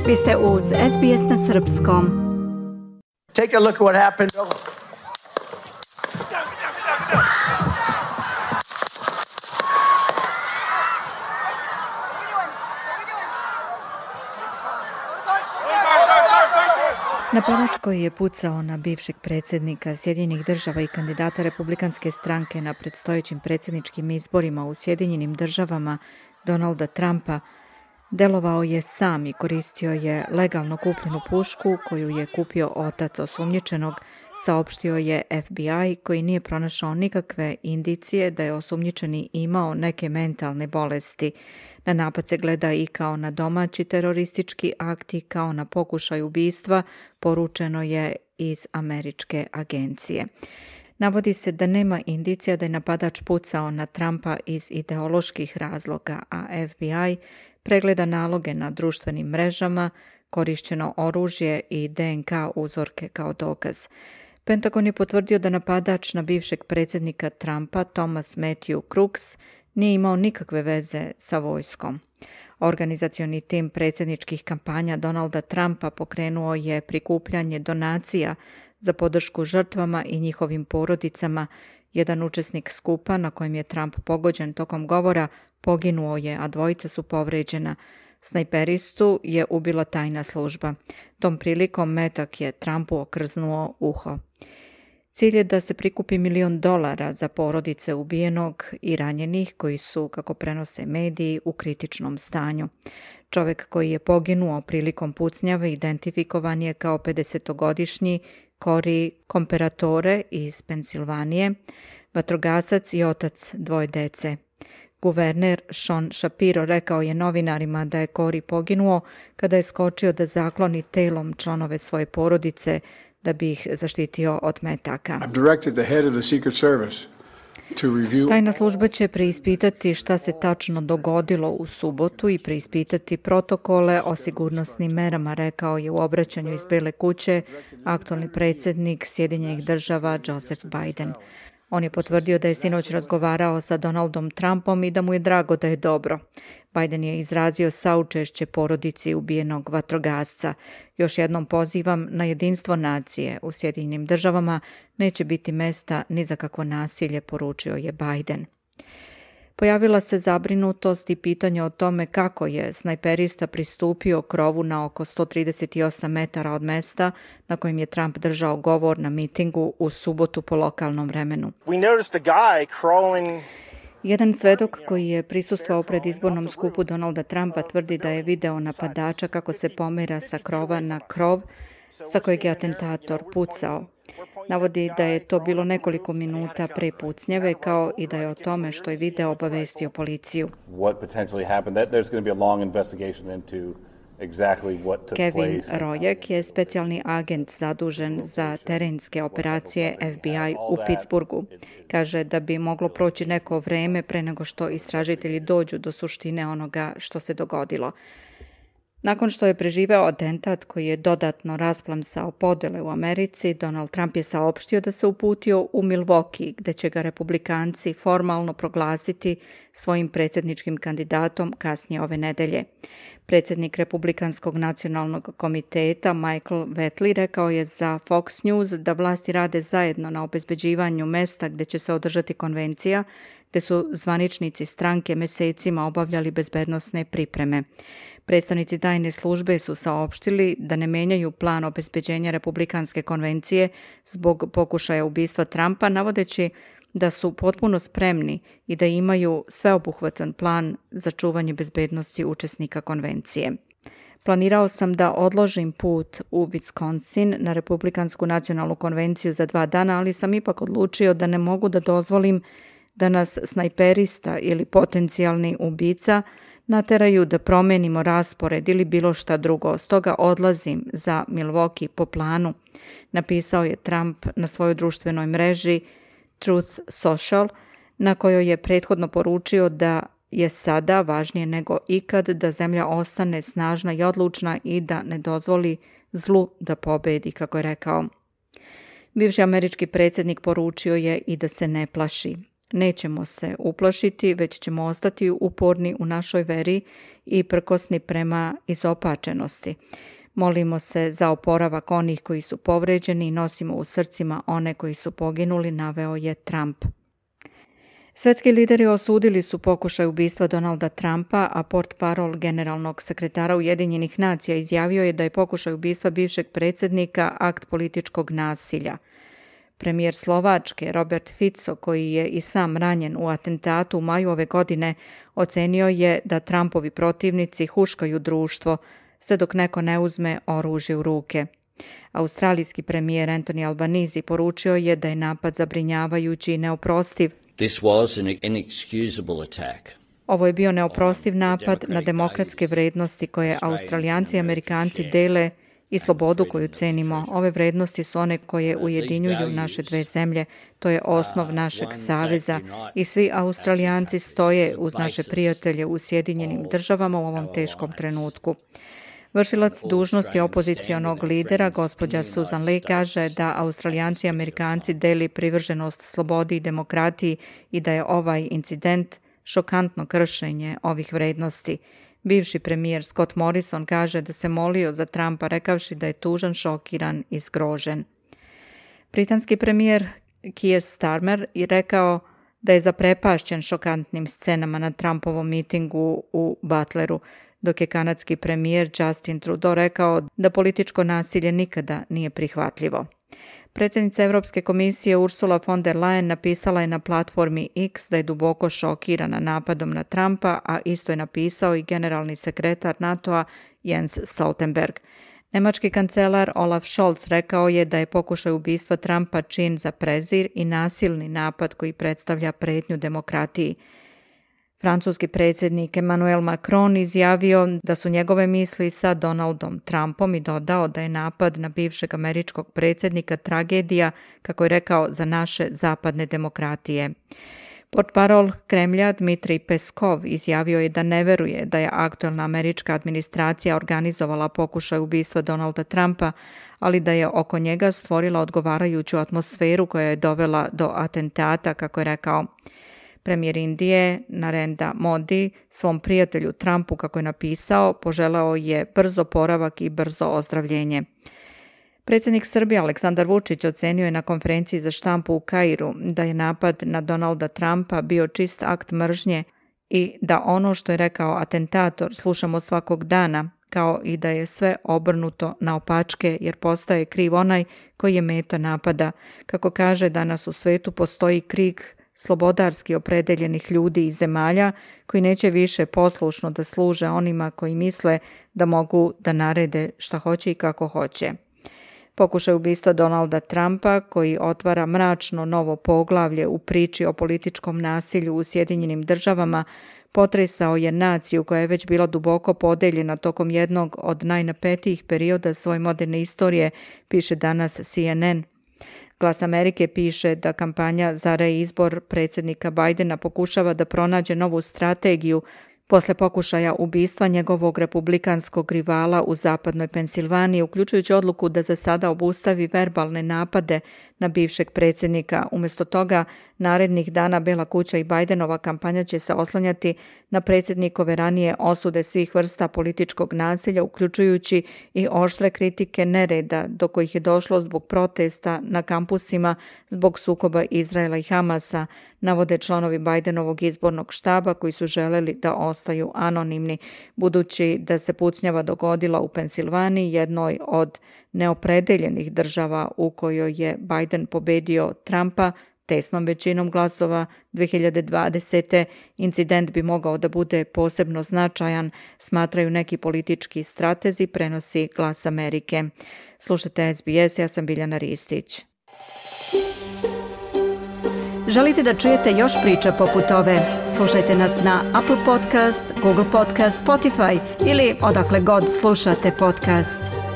Vi ste uz SBS na srpskom. Take a look at what happened. Napadač koji je pucao na bivšeg predsjednika Sjedinjenih država i kandidata republikanske stranke na predstojećim predsjedničkim izborima u Sjedinjenim državama Donalda Trumpa delovao je sam i koristio je legalno kupljenu pušku koju je kupio otac osumnjičenog, saopštio je FBI koji nije pronašao nikakve indicije da je osumnjičeni imao neke mentalne bolesti. Na napad se gleda i kao na domaći teroristički akt i kao na pokušaj ubistva, poručeno je iz američke agencije. Navodi se da nema indicija da je napadač pucao na Trumpa iz ideoloških razloga, a FBI pregleda naloge na društvenim mrežama, korišćeno oružje i DNK uzorke kao dokaz. Pentagon je potvrdio da napadač na bivšeg predsjednika Trumpa, Thomas Matthew Crooks, nije imao nikakve veze sa vojskom. Organizacioni tim predsjedničkih kampanja Donalda Trumpa pokrenuo je prikupljanje donacija za podršku žrtvama i njihovim porodicama. Jedan učesnik skupa na kojem je Trump pogođen tokom govora poginuo je, a dvojica su povređena. Snajperistu je ubila tajna služba. Tom prilikom metak je Trumpu okrznuo uho. Cilj je da se prikupi $1 milion za porodice ubijenog i ranjenih koji su, kako prenose mediji, u kritičnom stanju. Čovjek koji je poginuo prilikom pucnjave identifikovan je kao 50-godišnji Cory Comparatore iz Pensilvanije, vatrogasac i otac dvoje dece. Guverner Sean Shapiro rekao je novinarima da je Cory poginuo kada je skočio da zakloni telom članove svoje porodice da bi ih zaštitio od metaka. Tajna služba će preispitati šta se tačno dogodilo u subotu i preispitati protokole o sigurnosnim merama, rekao je u obraćanju iz Bele kuće aktualni predsjednik Sjedinjenih država Joseph Biden. On je potvrdio da je sinoć razgovarao sa Donaldom Trumpom i da mu je drago da je dobro. Biden je izrazio saučešće porodici ubijenog vatrogasca. Još jednom pozivam na jedinstvo nacije. U Sjedinjenim državama neće biti mesta ni za kakvo nasilje, poručio je Biden. Pojavila se zabrinutost i pitanje o tome kako je snajperista pristupio krovu na oko 138 metara od mesta na kojem je Trump držao govor na mitingu u subotu po lokalnom vremenu. Jedan svedok koji je prisustvovao predizbornom skupu Donalda Trumpa tvrdi da je video napadača kako se pomera sa krova na krov sa kojeg je atentator pucao. Navodi da je to bilo nekoliko minuta pre pucnjave, kao i da je o tome što je video obavestio policiju. Kevin Rojek je specijalni agent zadužen za terenske operacije FBI u Pittsburghu. Kaže da bi moglo proći neko vreme pre nego što istražitelji dođu do suštine onoga što se dogodilo. Nakon što je preživeo atentat koji je dodatno rasplamsao podele u Americi, Donald Trump je saopštio da se uputio u Milwaukee, gde će ga republikanci formalno proglasiti svojim predsjedničkim kandidatom kasnije ove nedelje. Predsjednik Republikanskog nacionalnog komiteta Michael Whatley rekao je za Fox News da vlasti rade zajedno na obezbeđivanju mesta gde će se održati konvencija, gde su zvaničnici stranke mesecima obavljali bezbednosne pripreme. Predstavnici tajne službe su saopštili da ne menjaju plan obezbeđenja republikanske konvencije zbog pokušaja ubistva Trumpa, navodeći da su potpuno spremni i da imaju sveobuhvatan plan za čuvanje bezbednosti učesnika konvencije. Planirao sam da odložim put u Wisconsin na Republikansku nacionalnu konvenciju za 2 dana, ali sam ipak odlučio da ne mogu da dozvolim da nas snajperista ili potencijalni ubica nateraju da promenimo raspored ili bilo šta drugo. Stoga odlazim za Milwaukee po planu, napisao je Trump na svojoj društvenoj mreži Truth Social, na kojoj je prethodno poručio da je sada važnije nego ikad da zemlja ostane snažna i odlučna i da ne dozvoli zlu da pobedi, kako je rekao. Bivši američki predsjednik poručio je i da se ne plaši. nećemo se uplašiti, već ćemo ostati uporni u našoj veri i prkosni prema izopačenosti. Molimo se za oporavak onih koji su povređeni i nosimo u srcima one koji su poginuli, naveo je Trump. Svetski lideri osudili su pokušaj ubistva Donalda Trumpa, a portparol generalnog sekretara Ujedinjenih nacija izjavio je da je pokušaj ubistva bivšeg predsjednika akt političkog nasilja. Premijer Slovačke Robert Fico, koji je i sam ranjen u atentatu u maju ove godine, ocenio je da Trumpovi protivnici huškaju društvo, sve dok neko ne uzme oružje u ruke. Australijski premijer Anthony Albanese poručio je da je napad zabrinjavajući i neoprostiv. This was an inexcusable attack. Ovo je bio neoprostiv napad na demokratske vrednosti koje Australijanci i Amerikanci dele i slobodu koju cenimo. Ove vrednosti su one koje ujedinjuju naše dve zemlje. To je osnov našeg saveza i svi Australijanci stoje uz naše prijatelje u Sjedinjenim državama u ovom teškom trenutku. Vršilac dužnosti opozicionog lidera, gospođa Susan Lee, kaže da Australijanci i Amerikanci deli privrženost slobodi i demokratiji i da je ovaj incident šokantno kršenje ovih vrednosti. Bivši premijer Scott Morrison kaže da se molio za Trumpa rekavši da je tužan, šokiran i zgrožen. Britanski premijer Keir Starmer je rekao da je zaprepašćen šokantnim scenama na Trumpovom mitingu u Butleru, dok je kanadski premijer Justin Trudeau rekao da političko nasilje nikada nije prihvatljivo. Predsjednica Europske komisije Ursula von der Leyen napisala je na platformi X da je duboko šokirana napadom na Trumpa, a isto je napisao i generalni sekretar NATO-a Jens Stoltenberg. Nemački kancelar Olaf Scholz rekao je da je pokušaj ubistva Trumpa čin za prezir i nasilni napad koji predstavlja prijetnju demokratiji. Francuski predsjednik Emmanuel Macron izjavio da su njegove misli sa Donaldom Trumpom i dodao da je napad na bivšeg američkog predsjednika tragedija, kako je rekao, za naše zapadne demokratije. Portparol Kremlja Dmitrij Peskov izjavio je da ne veruje da je aktualna američka administracija organizovala pokušaj ubistva Donalda Trumpa, ali da je oko njega stvorila odgovarajuću atmosferu koja je dovela do atentata, kako je rekao. Premijer Indije Narendra Modi svom prijatelju Trumpu, kako je napisao, poželao je brz oporavak i brzo ozdravljenje. Predsjednik Srbije Aleksandar Vučić ocenio je na konferenciji za štampu u Kairu da je napad na Donalda Trumpa bio čist akt mržnje i da ono što je rekao atentator slušamo svakog dana, kao i da je sve obrnuto naopačke jer postaje kriv onaj koji je meta napada. Kako kaže, danas u svetu postoji krik slobodarski opredeljenih ljudi i zemalja koji neće više poslušno da služe onima koji misle da mogu da narede šta hoće i kako hoće. Pokušaj ubistva Donalda Trumpa, koji otvara mračno novo poglavlje u priči o političkom nasilju u Sjedinjenim državama, potresao je naciju koja je već bila duboko podeljena tokom jednog od najnapetijih perioda svoje moderne istorije, piše danas CNN. Glas Amerike piše da kampanja za reizbor predsjednika Bidena pokušava da pronađe novu strategiju posle pokušaja ubistva njegovog republikanskog rivala u zapadnoj Pensilvaniji, uključujući odluku da za sada obustavi verbalne napade na bivšeg predsjednika. Umjesto toga, narednih dana Bela kuća i Bidenova kampanja će se oslanjati na predsjednikove ranije osude svih vrsta političkog nasilja, uključujući i oštre kritike nereda do kojih je došlo zbog protesta na kampusima zbog sukoba Izraela i Hamasa, navode članovi Bidenovog izbornog štaba koji su želeli da ostaju anonimni, budući da se pucnjava dogodila u Pensilvaniji, jednoj od neopredeljenih država u kojoj je Biden pobedio Trumpa tesnom većinom glasova 2020. Incident bi mogao da bude posebno značajan, smatraju neki politički stratezi, prenosi Glas Amerike. Slušajte SBS, ja sam Biljana Ristić. Želite da čujete još priča poput ove? Slušajte nas na Apple Podcast, Google Podcast, Spotify ili odakle god slušate podcast.